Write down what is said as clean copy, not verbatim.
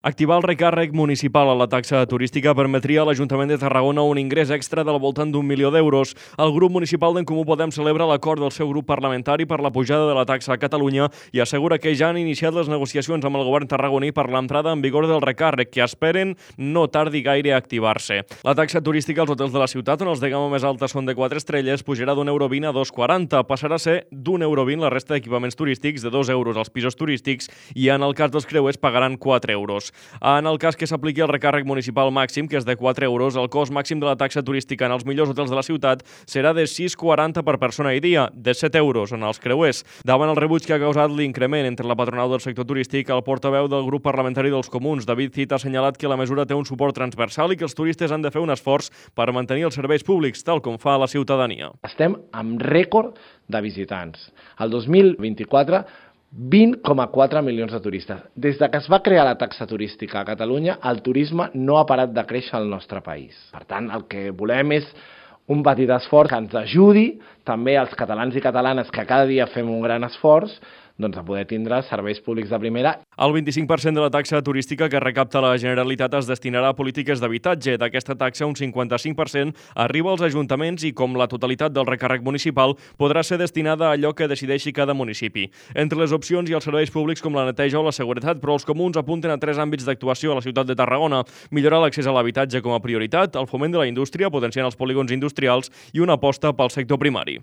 Activar el recàrrec municipal a la taxa turística permetria a l'Ajuntament de Tarragona un ingrés extra del voltant d'1 milió d'euros. El grup municipal d'En Comú Podem celebra l'acord del seu grup parlamentari per la pujada de la taxa a Catalunya i assegura que ja han iniciat les negociacions amb el govern tarragoní per l'entrada en vigor del recàrrec, que esperen no tardi gaire a activar-se. La taxa turística als hotels de la ciutat, on els de gamma més alta són de 4 estrelles, pujarà d'1,20 € a 2,40. Passarà a ser d'1,20 € la resta d'equipaments turístics, de 2 euros als pisos turístics i en el cas dels creuers pagaran 4 euros. En el cas que s'apliqui el recàrrec municipal màxim, que és de 4 euros, el cost màxim de la taxa turística en els millors hotels de la ciutat serà de 6,40 per persona i dia, de 7 euros en els creuers. Davant el rebuig que ha causat l'increment entre la patronal del sector turístic, el portaveu del grup parlamentari dels Comuns, David Cid, ha assenyalat que la mesura té un suport transversal i que els turistes han de fer un esforç per mantenir els serveis públics, tal com fa la ciutadania. Estem amb rècord de visitants. El 2024, 20,4 milions de turistes. Des que es va crear la taxa turística a Catalunya, el turisme no ha parat de créixer al nostre país. Per tant, el que volem és un petit esforç que ens ajudi també als catalans i catalanes que cada dia fem un gran esforç doncs a poder tindre serveis públics de primera. El 25% de la taxa turística que recapta la Generalitat es destinarà a polítiques d'habitatge. D'aquesta taxa, un 55% arriba als ajuntaments i, com la totalitat del recàrrec municipal, podrà ser destinada a allò que decideixi cada municipi. Entre les opcions hi ha els serveis públics com la neteja o la seguretat, però els comuns apunten a 3 àmbits d'actuació a la ciutat de Tarragona: millorar l'accés a l'habitatge com a prioritat, el foment de la indústria, potenciant els polígons industrials i una aposta pel sector primari.